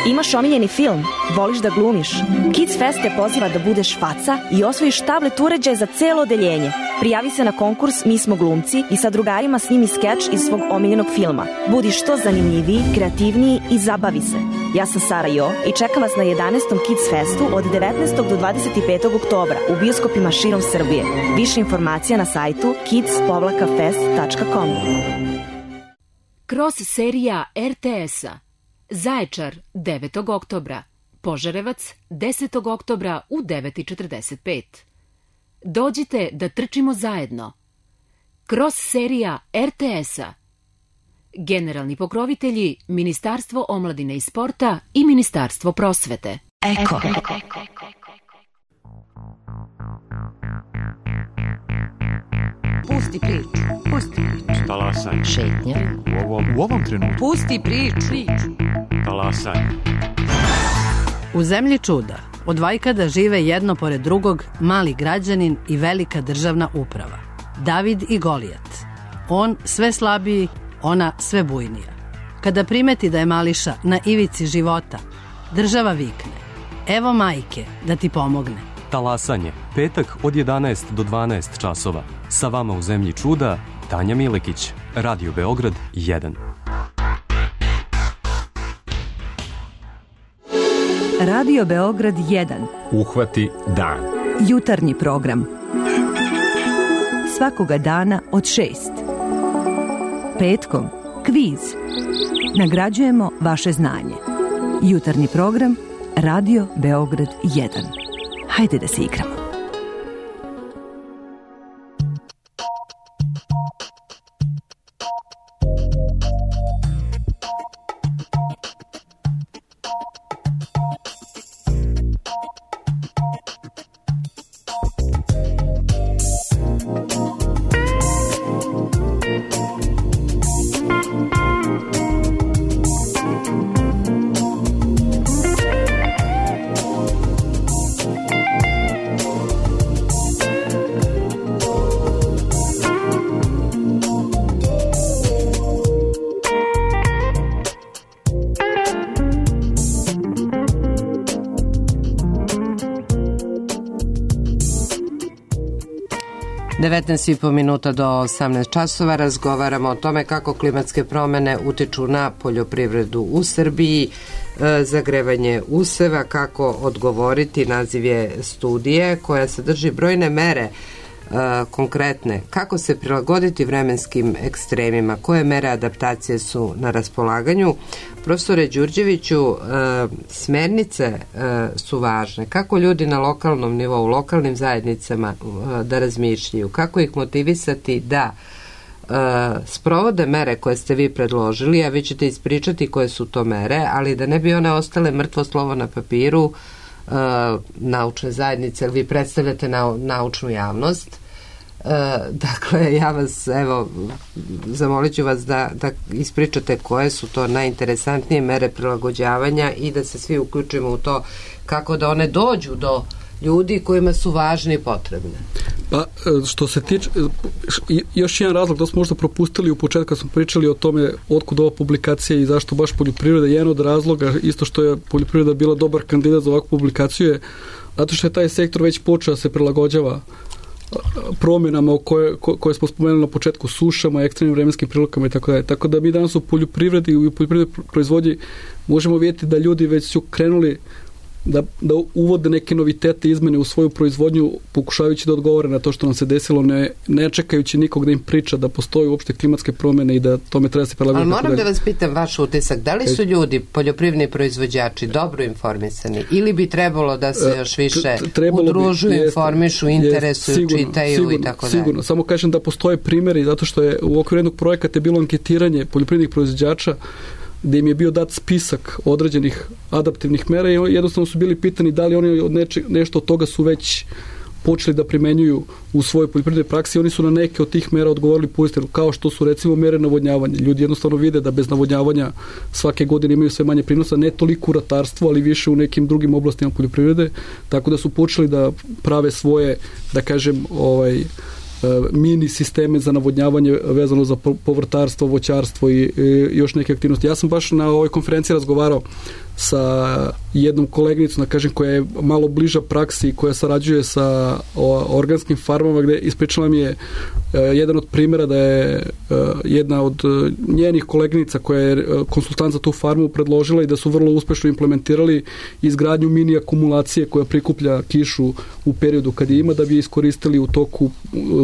Imaš omiljeni film? Voliš da glumiš? Kids Fest te poziva da budeš faca i osvojiš tablet uređaj za celo odeljenje. Prijavi se na konkurs Mi smo glumci i sa drugarima snimi skeč iz svog omiljenog filma. Budi što zanimljiviji, kreativniji i zabavi se. Ja sam Sara Jo i čekam vas na 11. Kids Festu od 19. do 25. oktobra u bioskopima širom Srbije. Više informacija na sajtu kids-fest.com. Kroz serija RTS-a Zaječar 9. oktobra, Požarevac 10. oktobra u 9:45. Dođite da trčimo zajedno. Kroz serija RTS-a. Generalni pokrovitelji Ministarstvo omladine i sporta i Ministarstvo prosvete. Eko. Pusti priču. Talasaj. Šetnja. U ovom trenutku. Pusti priču. Talasaj. U zemlji čuda od vajkada žive jedno pored drugog mali građanin i velika državna uprava. David i Golijat. On sve slabiji, ona sve bujnija. Kada primeti da je mališa na ivici života, država vikne: evo majke da ti pomogne. Talasanje, petak od 11 do 12 časova. Sa vama u zemlji čuda, Tanja Milekić, Radio Beograd 1. Radio Beograd 1. Uhvati dan. Jutarnji program. Svakoga dana od 6. Petkom kviz. Nagrađujemo vaše znanje. Jutarnji program Radio Beograd 1. Hajde da se igramo. I po minuta do 18 časova razgovaramo o tome kako klimatske promene utiču na poljoprivredu u Srbiji, zagrevanje useva, kako odgovoriti. Naziv je studije koja sadrži brojne mere konkretne, kako se prilagoditi vremenskim ekstremima, koje mere adaptacije su na raspolaganju. Profesore Đurđeviću, smernice su važne. Kako ljudi na lokalnom nivou, lokalnim zajednicama da razmišljaju, kako ih motivisati da sprovode mere koje ste vi predložili, a vi ćete ispričati koje su to mere, ali da ne bi one ostale mrtvo slovo na papiru naučne zajednice, jer vi predstavljate naučnu javnost. Dakle, ja vas, evo, zamolit ću vas da ispričate koje su to najinteresantnije mere prilagođavanja i da se svi uključimo u to kako da one dođu do ljudi kojima su važni i potrebne. Pa, što se tiče, još jedan razlog da smo možda propustili u početku kad smo pričali o tome otkud ova publikacija i zašto baš poljoprivreda, jedan od razloga, isto što je poljoprivreda bila dobar kandidat za ovakvu publikaciju, je zato što je taj sektor već počeo da se prilagođava promjenama koje smo spomenuli na početku, sušama, ekstremnim vremenskim prilikama i tako dalje. Tako da mi danas u poljoprivredi i u poljoprivrednoj proizvodnji možemo vidjeti da ljudi već su krenuli da uvode neke novitete, izmene u svoju proizvodnju, pokušavajući da odgovore na to što nam se desilo, ne čekajući nikog da im priča da postoje uopšte klimatske promjene i da tome treba se prilagoditi. Ali moram da vas pitam vaš utisak, da li su ljudi, poljoprivredni proizvođači, dobro informisani ili bi trebalo da se još više udružuju, informišu, interesuju, čitaju i tako dalje? Sigurno, samo kažem da postoje primjeri, zato što je u okviru jednog projekata bilo anketiranje poljoprivrednih proizvođača gdje im je bio dat spisak određenih adaptivnih mera i jednostavno su bili pitani da li oni od nešto od toga su već počeli da primenjuju u svojoj poljoprivrednoj praksi. Oni su na neke od tih mera odgovorili pozitivno, kao što su recimo mere navodnjavanja. Ljudi jednostavno vide da bez navodnjavanja svake godine imaju sve manje prinosa, ne toliko u ratarstvu, ali više u nekim drugim oblastima poljoprivrede, tako da su počeli da prave svoje, da kažem, mini sisteme za navodnjavanje vezano za povrtarstvo, voćarstvo i još neke aktivnosti. Ja sam baš na ovoj konferenciji razgovarao sa jednom koleginicom, da kažem, koja je malo bliža praksi i koja sarađuje sa organskim farmama, gde ispričala mi je jedan od primjera da je jedna od njenih koleginica koja je konsultant za tu farmu predložila i da su vrlo uspešno implementirali izgradnju mini akumulacije koja prikuplja kišu u periodu kad je ima, da bi iskoristili u toku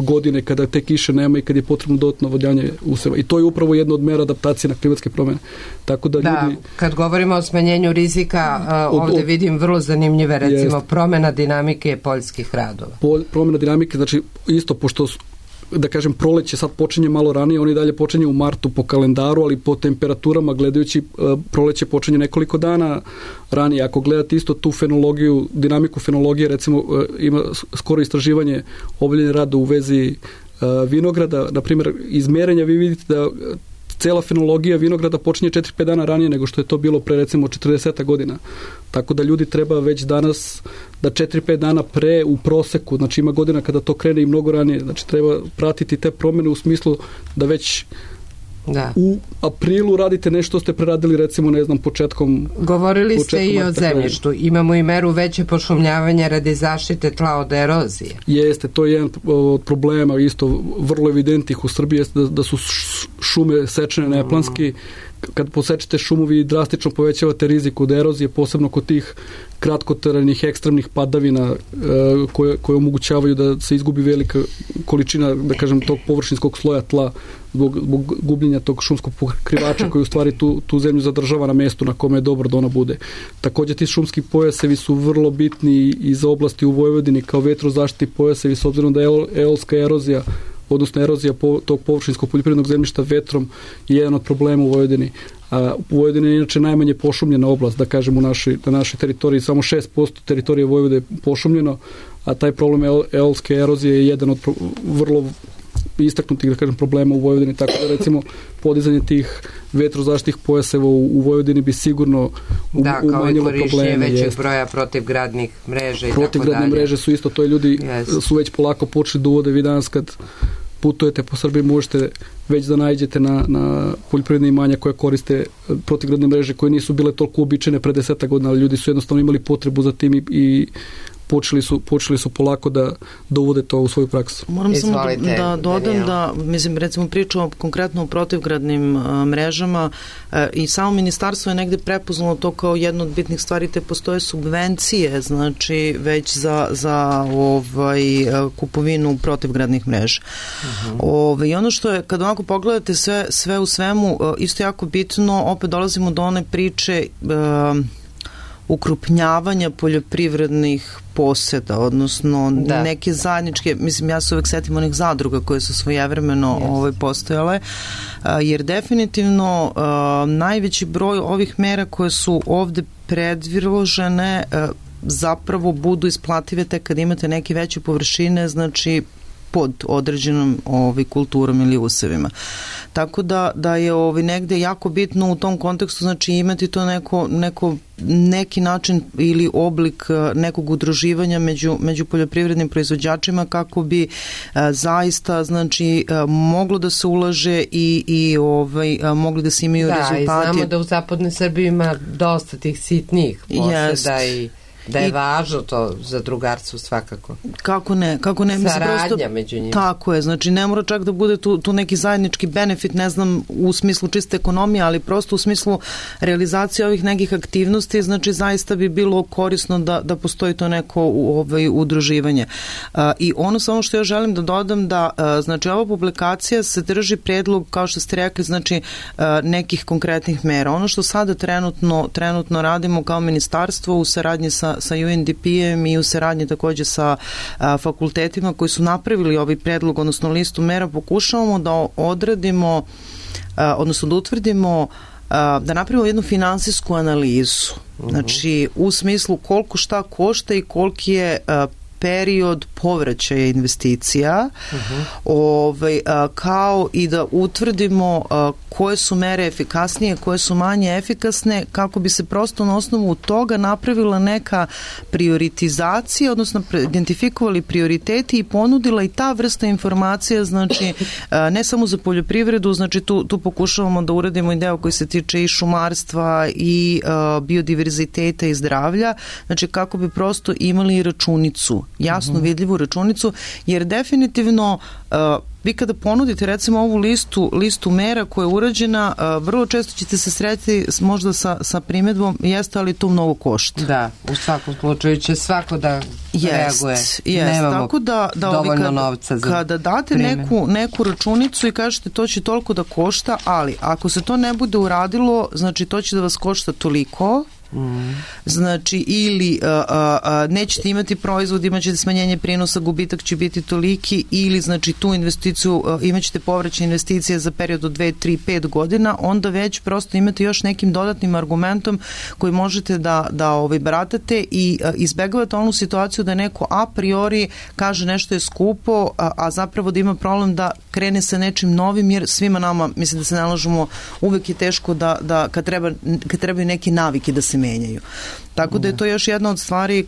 godine kada te kiše nema i kad je potrebno dodatno navodnjavanje useva. I to je upravo jedna od mera adaptacije na klimatske promjene. Tako da ljudi... kad govorimo o smanjenju rizika, ovdje vidim vrlo zanimljive, recimo, promjena dinamike poljskih radova. Promjena dinamike, znači isto, pošto da kažem, proleće sad počinje malo ranije, oni dalje počinje u martu po kalendaru, ali po temperaturama gledajući proleće počinje nekoliko dana ranije. Ako gledate isto tu fenologiju, dinamiku fenologije, recimo ima skoro istraživanje obavljene rada u vezi vinograda, na primjer iz merenja vi vidite da cela fenologija vinograda počinje 4-5 dana ranije nego što je to bilo pre recimo 40 godina. Tako da ljudi treba već danas da 4-5 dana pre u proseku, znači ima godina kada to krene i mnogo ranije, znači treba pratiti te promjene u smislu da već u aprilu radite nešto ste preradili recimo, ne znam, početkom... Govorili ste i o zemljištu. Imamo i meru veće pošumljavanja radi zaštite tla od erozije. Jeste, to je jedan od problema isto vrlo evidentnih u Srbiji, jeste da su šume sečene neplanski, kad posečete šumovi drastično povećavate rizik od erozije, posebno kod tih kratkotrajnih ekstremnih padavina koje omogućavaju da se izgubi velika količina, da kažem, tog površinskog sloja tla zbog gubljenja tog šumskog pokrivača koji u stvari tu zemlju zadržava na mestu na kome je dobro da ona bude. Također ti šumski pojasevi su vrlo bitni i za oblasti u Vojvodini kao vetrozaštitni pojasevi, s obzirom da je eolska erozija, odnosno erozija tog površinskog poljoprivrednog zemljišta vetrom je jedan od problema u Vojvodini. U Vojvodini je inače najmanje pošumljena oblast, da kažem, na našoj teritoriji, samo 6% teritorije Vojvode je pošumljeno, a taj problem eolske erozije je jedan od vrlo istaknutih, da kažem, problema u Vojvodini, tako da recimo podizanje tih vetrozaštitnih pojaseva u Vojvodini bi sigurno umanjilo probleme. Da, kao i korišćenje većeg broja protivgradnih mreža i tako dalje. Protivgradne mreže su isto, to je ljudi su već polako počeli da uvode. Vi danas kad putujete po Srbiji možete već da nađete na poljoprivredne imanja koja koriste protivgradne mreže koje nisu bile toliko uobičajene pre 10 godina, ali ljudi su jednostavno imali potrebu za tim i počeli su polako da uvode to u svoju praksu. Moram samo da dodam da, mislim, recimo pričamo konkretno o protivgradnim mrežama i samo ministarstvo je negde prepoznalo to kao jednu od bitnih stvari, te postoje subvencije, znači već za kupovinu protivgradnih mreža. I ono što je, kad ovako pogledate sve u svemu, isto jako bitno, opet dolazimo do one priče ukrupnjavanja poljoprivrednih poseda, odnosno neke zajedničke, mislim, ja se uvek setim onih zadruga koje su svojevremeno postojale, jer definitivno najveći broj ovih mera koje su ovde predložene zapravo budu isplative tek kad imate neke veće površine, znači pod određenom kulturom ili usevima. Tako da je negde jako bitno u tom kontekstu, znači imati to neki način ili oblik nekog udruživanja među poljoprivrednim proizvođačima kako bi zaista, znači, moglo da se ulaže i mogli da se imaju rezultati. Da, i znamo da u zapadnoj Srbiji ima dosta tih sitnih poseda i da je važno to za drugarstvo svakako. Kako ne? Saradnja među njima. Tako je, znači ne mora čak da bude tu neki zajednički benefit, ne znam, u smislu čiste ekonomije, ali prosto u smislu realizacije ovih nekih aktivnosti, znači zaista bi bilo korisno da postoji to neko udruživanje. I ono samo što ja želim da dodam da, znači, ova publikacija se drži predlog, kao što ste rekli, znači nekih konkretnih mera. Ono što sada trenutno radimo kao ministarstvo u saradnji sa UNDP-em i u saradnji takođe sa fakultetima koji su napravili ovaj predlog, odnosno listu mera, pokušavamo da odradimo, odnosno da utvrdimo, da napravimo jednu finansijsku analizu. Znači, u smislu koliko šta košta i koliki je period povraćaja investicija, kao i da utvrdimo koje su mere efikasnije, koje su manje efikasne, kako bi se prosto na osnovu toga napravila neka prioritizacija, odnosno identifikovali prioriteti i ponudila i ta vrsta informacija, znači ne samo za poljoprivredu, znači tu pokušavamo da uradimo i deo koji se tiče i šumarstva i biodiverziteta i zdravlja, znači kako bi prosto imali računicu, jasno vidljivu računicu, jer definitivno vi kada ponudite recimo ovu listu mera koja je urađena, vrlo često ćete se sretiti možda sa primedbom, jeste, ali to mnogo košta. Da, u svakom slučaju će svako da reaguje. Nemamo tako da dovoljno novca za kada date neku računicu i kažete to će toliko da košta, ali ako se to ne bude uradilo, znači to će da vas košta toliko, znači ili nećete imati proizvod, imat ćete smanjenje prinosa, gubitak će biti toliki, ili znači tu investiciju imat ćete povraćaj investicije za period od 2, 3, 5 godina, onda već prosto imate još nekim dodatnim argumentom koji možete da baratate i izbegavate onu situaciju da neko a priori kaže nešto je skupo, a zapravo da ima problem da krene sa nečim novim, jer svima nama, mislim da se nalažemo, uvek je teško da kad trebaju neke navike da se menjaju. Tako da je to još jedna od stvari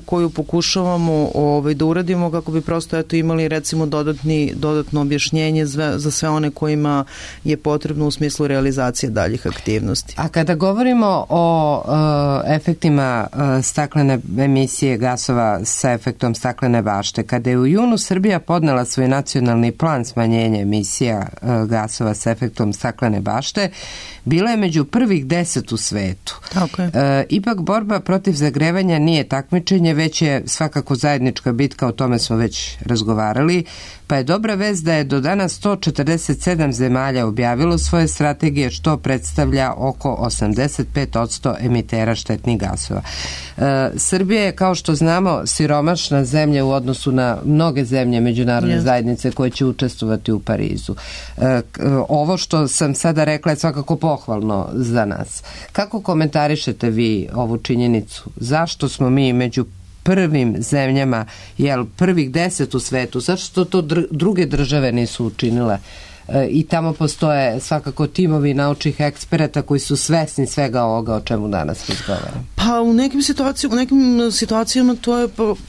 koju pokušavamo da uradimo kako bi prosto imali recimo dodatno objašnjenje za sve one kojima je potrebno u smislu realizacije daljih aktivnosti. A kada govorimo o efektima staklene emisije gasova sa efektom staklene bašte, kada je u junu Srbija podnela svoj nacionalni plan smanjenja emisija gasova sa efektom staklene bašte, Bila je među prvih 10 u svetu. Tako je. Ipak borba protiv zagrevanja nije takmičenje, već je svakako zajednička bitka, o tome smo već razgovarali, pa je dobra vest da je do danas 147 zemalja objavilo svoje strategije, što predstavlja oko 85% emitera štetnih gasova. Srbija je, kao što znamo, siromašna zemlja u odnosu na mnoge zemlje međunarodne zajednice koje će učestvovati u Parizu. Ovo što sam sada rekla je svakako pohvalno za nas. Kako komentarišete vi ovu činjenicu? Zašto smo mi među prvim zemljama, prvih 10 u svetu? Zašto to druge države nisu učinile? I tamo postoje svakako timovi naučnih eksperata koji su svesni svega ovoga o čemu danas razgovaramo. Pa u nekim situacijama to je,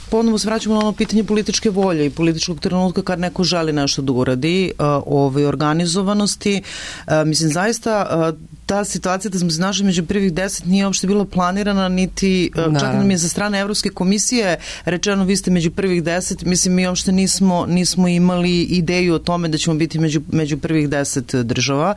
ponovo se vraćamo na ono pitanje političke volje i političkog trenutka kad neko želi nešto da uradi, organizovanosti. Mislim, zaista ta situacija da smo se našli među prvih 10 nije uopšte bila planirana, niti čak nam je za strane Evropske komisije rečeno vi ste među prvih 10. Mislim, mi uopšte nismo imali ideju o tome da ćemo biti među prvih 10 država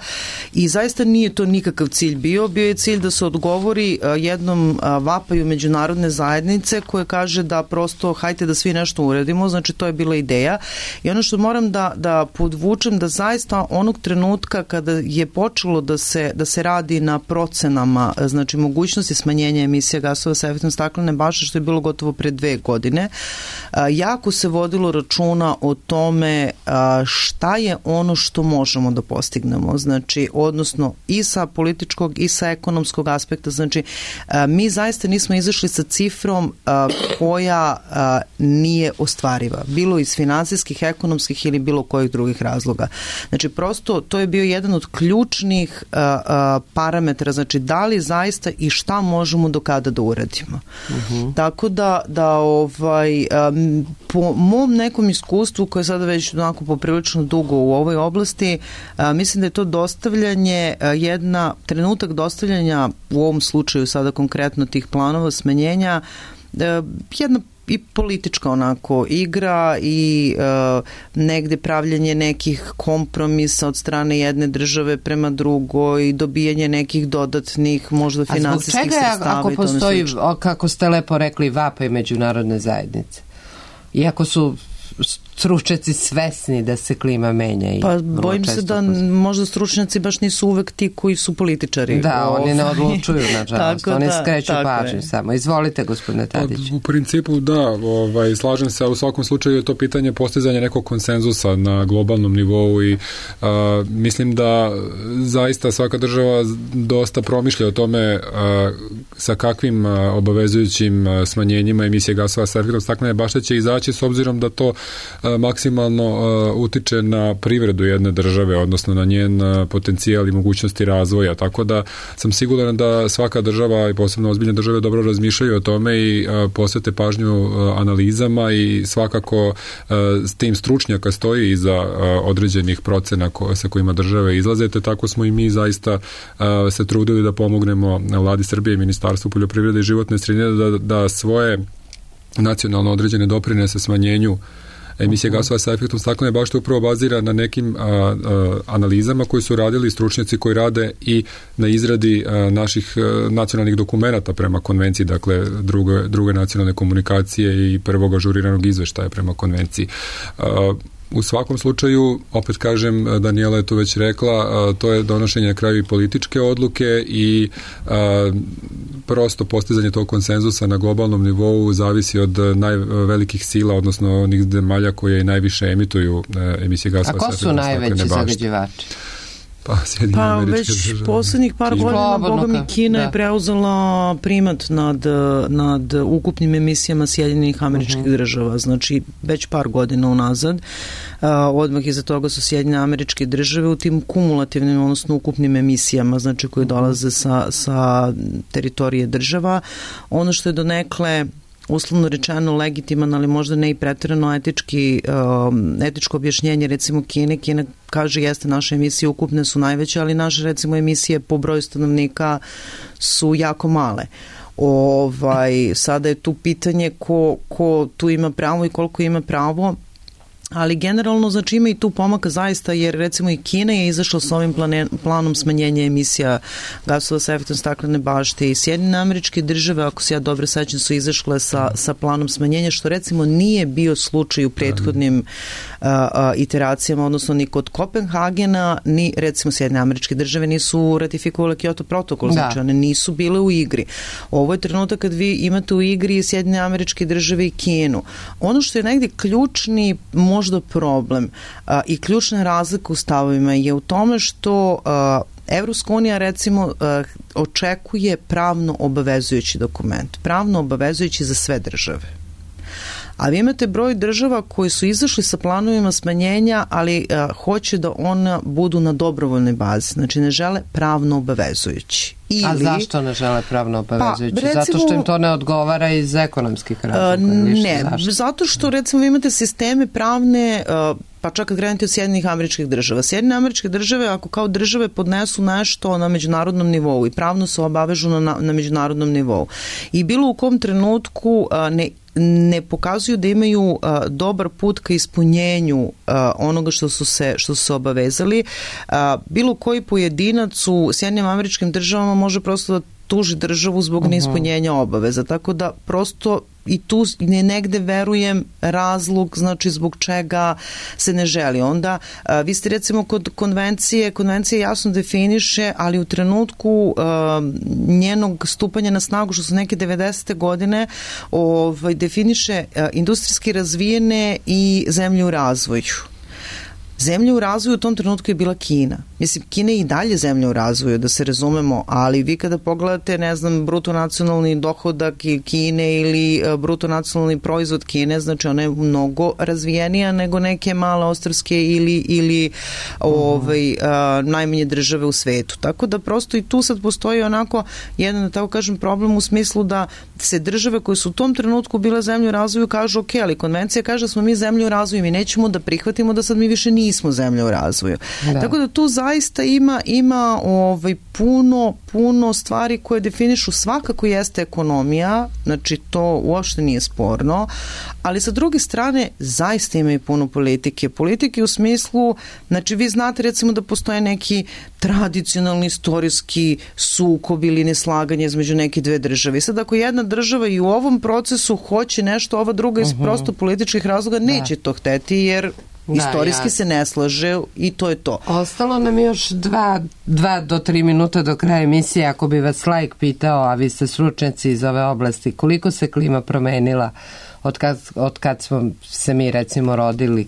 i zaista nije to nikakav cilj bio je cilj da se odgovori jednom vapaju međunarodne zajednice koje kaže da prosto hajte da svi nešto uradimo, znači to je bila ideja i ono što moram da podvučem da zaista onog trenutka kada je počelo da se radi na procenama, znači mogućnosti smanjenja emisija gasova sa efektom staklene bašte, što je bilo gotovo pre 2 godine, jako se vodilo računa o tome šta je ono što možemo da postignemo, znači odnosno i sa političkog i sa ekonomskog aspekta, znači mi zaista nismo izašli sa cifrom koja nije ostvariva, bilo iz finansijskih, ekonomskih ili bilo kojih drugih razloga. Znači prosto to je bio jedan od ključnih parametra, znači da li zaista i šta možemo do kada da uradimo. Tako da po mom nekom iskustvu koje je sada već onako poprilično dugo u ovoj oblasti, mislim da je to dostavljanje, trenutak dostavljanja u ovom slučaju sada konkretno tih planova smanjenja, jedna i politička onako igra i negde pravljanje nekih kompromisa od strane jedne države prema drugoj i dobijanje nekih dodatnih možda finansijskih sredstava. A zbog čega ako postoji, kako ste lepo rekli, vapaj međunarodne zajednice? Iako su stručnjaci svesni da se klima menja. Pa bojim se da možda stručnjaci baš nisu uvek ti koji su političari. Da, oni ne odlučuju, nažalost. Oni skreću pažnju samo. Izvolite, gospodine Tadić. U principu da, slažem se, u svakom slučaju je to pitanje postizanja nekog konsenzusa na globalnom nivou i mislim da zaista svaka država dosta promišlja o tome sa kakvim obavezujućim smanjenjima emisije gasova sa efektom staklene bašte će izaći, s obzirom da to maksimalno utiče na privredu jedne države, odnosno na njen potencijal i mogućnosti razvoja, tako da sam siguran da svaka država i posebno ozbiljne države dobro razmišljaju o tome i posvete pažnju analizama i svakako s tim stručnjaka stoji iza određenih procena sa kojima države izlaze, te tako smo i mi zaista se trudili da pomognemo Vladi Srbije i Ministarstvu poljoprivrede i životne sredine da svoje nacionalno određene doprinese smanjenju emisije gasova sa efektom staklene bašte upravo bazira na nekim analizama koji su radili stručnjaci koji rade i na izradi naših nacionalnih dokumenata prema konvenciji, dakle druge nacionalne komunikacije i prvog ažuriranog izveštaja prema konvenciji. U svakom slučaju, opet kažem, Danijela je to već rekla, to je donošenje na kraju i političke odluke i prosto postizanje tog konsenzusa na globalnom nivou zavisi od najvelikih sila, odnosno onih zemalja koje najviše emituju emisije gasova. A ko su najveći zagađivači? Pa već poslednjih par godina, boga mi, Kina je preuzela primat nad ukupnim emisijama Sjedinjenih Američkih Država, znači već par godina unazad. Odmah iza toga su Sjedinjene Američke Države u tim kumulativnim, odnosno ukupnim emisijama, znači koji dolaze sa teritorije država. Ono što je donekle uslovno rečeno legitiman, ali možda ne i preterano etičko objašnjenje, recimo Kina kaže jeste naše emisije ukupne su najveće, ali naše recimo emisije po broju stanovnika su jako male. Sada je tu pitanje ko tu ima pravo i koliko ima pravo. Ali generalno, znači, ima i tu pomaka zaista, jer recimo i Kina je izašla s ovim planom smanjenja emisija gasova sa efektom staklene bašte i Sjedinjene Američke Države, ako se ja dobro sećam, su izašle sa planom smanjenja, što recimo nije bio slučaj u prethodnim iteracijama, odnosno ni kod Kopenhagena, ni recimo Sjedinjene Američke Države nisu ratifikovali Kyoto protokol, znači one nisu bile u igri. Ovo je trenutak kad vi imate u igri Sjedinjene Američke Države i Kinu. Ono što je negdje ključni možda problem i ključna razlika u stavovima je u tome što Evropska unija recimo očekuje pravno obavezujući dokument, pravno obavezujući za sve države. A vi imate broj država koji su izašli sa planovima smanjenja, ali hoće da ona budu na dobrovoljnoj bazi, znači ne žele pravno obavezujući. A zašto ne žele pravno obavezujući? Zato što im to ne odgovara iz ekonomskih razloga? Ne, zato što recimo vi imate sisteme pravne, pa čak kad krenete od Sjedinjenih Američkih Država. Sjedinjene Američke Države, ako kao države podnesu nešto na međunarodnom nivou i pravno se obavežu na međunarodnom nivou i bilo u kom trenutku ne pokazuju da imaju dobar put ka ispunjenju onoga što su se obavezali, bilo koji pojedinac u Sjedinjenim Američkim Državama može prosto da tuži državu zbog neispunjenja obaveza. Tako da prosto i tu negde verujem razlog, znači zbog čega se ne želi. Onda vi ste recimo kod konvencija jasno definiše, ali u trenutku njenog stupanja na snagu, što su neke 90. godine, definiše industrijski razvijene i zemlje u razvoju. Zemlja u razvoju u tom trenutku je bila Kina. Mislim, Kina je i dalje zemlja u razvoju, da se razumemo, ali vi kada pogledate, ne znam, bruto nacionalni dohodak Kine ili bruto nacionalni proizvod Kine, znači ona je mnogo razvijenija nego neke male ostrvske ili najmanje države u svetu. Tako da prosto i tu sad postoji onako jedan, da tako kažem, problem u smislu da se države koje su u tom trenutku bile zemlje u razvoju kažu, ok, ali konvencija kaže da smo mi zemlje u razvoju, mi nećemo da prihvatimo da sad mi više nismo zemlja u razvoju. Da. Tako da tu zaista ima puno stvari koje definišu, svakako jeste ekonomija, znači to uopšte nije sporno, ali sa druge strane zaista ima i puno politike. Politike u smislu, znači vi znate recimo da postoje neki tradicionalni istorijski sukob ili neslaganje između neke dve države. I sad ako jedna država i u ovom procesu hoće nešto, ova druga iz prosto političkih razloga neće to hteti, jer istorijski se ne slaže i to je to. Ostalo nam još 2 do 3 minuta do kraja emisije. Ako bi vas laik pitao, a vi ste stručnjaci iz ove oblasti, koliko se klima promenila od kad smo se mi recimo rodili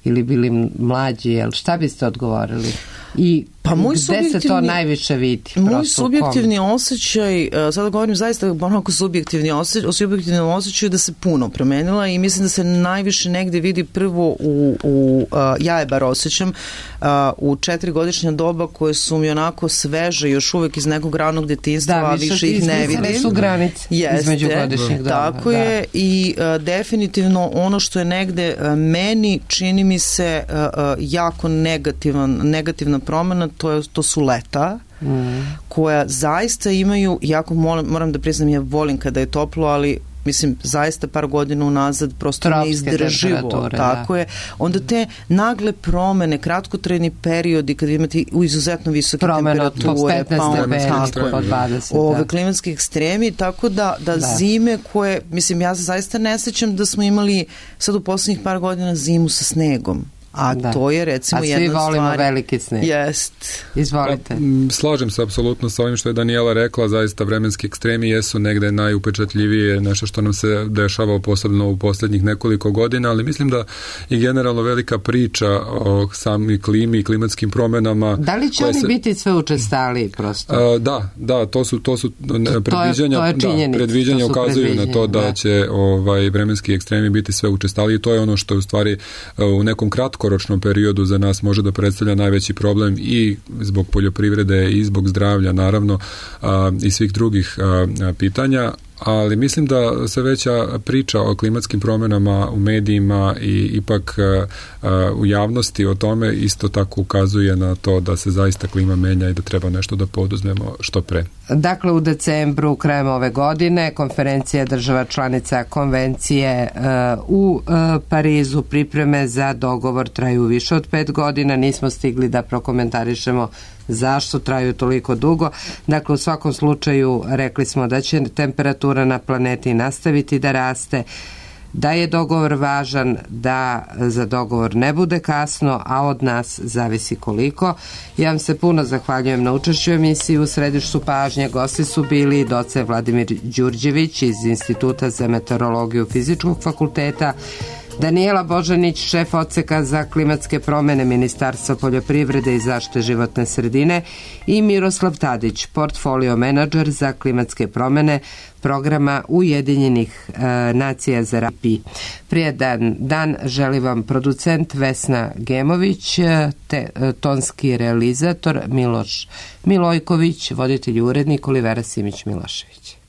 ili bili mlađi, šta biste odgovorili? I gde se to najviše vidi? Moj subjektivni osjećaj, sada govorim zaista onako subjektivni osjećaj da se puno promenila i mislim da se najviše negde vidi prvo ja je bar osjećam u 4-godišnja doba koje su mi onako sveže još uvek iz nekog ranog detinjstva, a više ih ne vidim. Da, su granice između godišnjeg doba. Tako je i definitivno ono što je negde meni čini mi se jako negativna promena, to su leta koja zaista imaju, jako moram da priznam, ja volim kada je toplo, ali mislim, zaista par godina unazad prosto neizdrživo. Tako je. Onda te nagle promene, kratkotrajni periodi kad imate izuzetno visoke temperature, klimatski ekstremi, tako da zime koje, mislim, ja se zaista ne sećam da smo imali sad u poslednjih par godina zimu sa snegom. A to je recimo jedna stvar. A svi volimo veliki sneg. Jest. Izvolite. Slažem se apsolutno sa ovim što je Danijela rekla, zaista vremenski ekstremi jesu negde najupečatljivije, nešto što nam se dešava posebno u poslednjih nekoliko godina, ali mislim da je generalno velika priča o samoj klimi i klimatskim promenama. Da li će oni biti sve učestaliji prosto? Da, to su predviđanja. To je činjenica. Predviđanja ukazuju na to da će vremenski ekstremi biti sve učestaliji i to je ono što je u stvari u nekom kratkoročnom periodu za nas može da predstavlja najveći problem i zbog poljoprivrede i zbog zdravlja naravno i svih drugih pitanja, ali mislim da sve veća priča o klimatskim promjenama u medijima i ipak u javnosti o tome isto tako ukazuje na to da se zaista klima menja i da treba nešto da poduzmemo što pre. Dakle, u decembru, krajem ove godine, konferencija država članica konvencije u Parizu, pripreme za dogovor traju više od 5 godina. Nismo stigli da prokomentarišemo zašto traju toliko dugo. Dakle, u svakom slučaju rekli smo da će temperatura na planeti nastaviti da raste, da je dogovor važan, da za dogovor ne bude kasno, a od nas zavisi koliko. Ja vam se puno zahvaljujem na učešću u emisiji. U središtu pažnje gosti su bili docent Vladimir Đurđević iz Instituta za meteorologiju Fizičkog fakulteta, Danijela Božanić, šef odseka za klimatske promene Ministarstva poljoprivrede i zaštite životne sredine, i Miroslav Tadić, portfolio menadžer za klimatske promene programa Ujedinjenih nacija za RAPI. Prijedan dan želi vam producent Vesna Gemović, te tonski realizator Miloš Milojković, voditelj i urednik Olivera Simić-Milošević.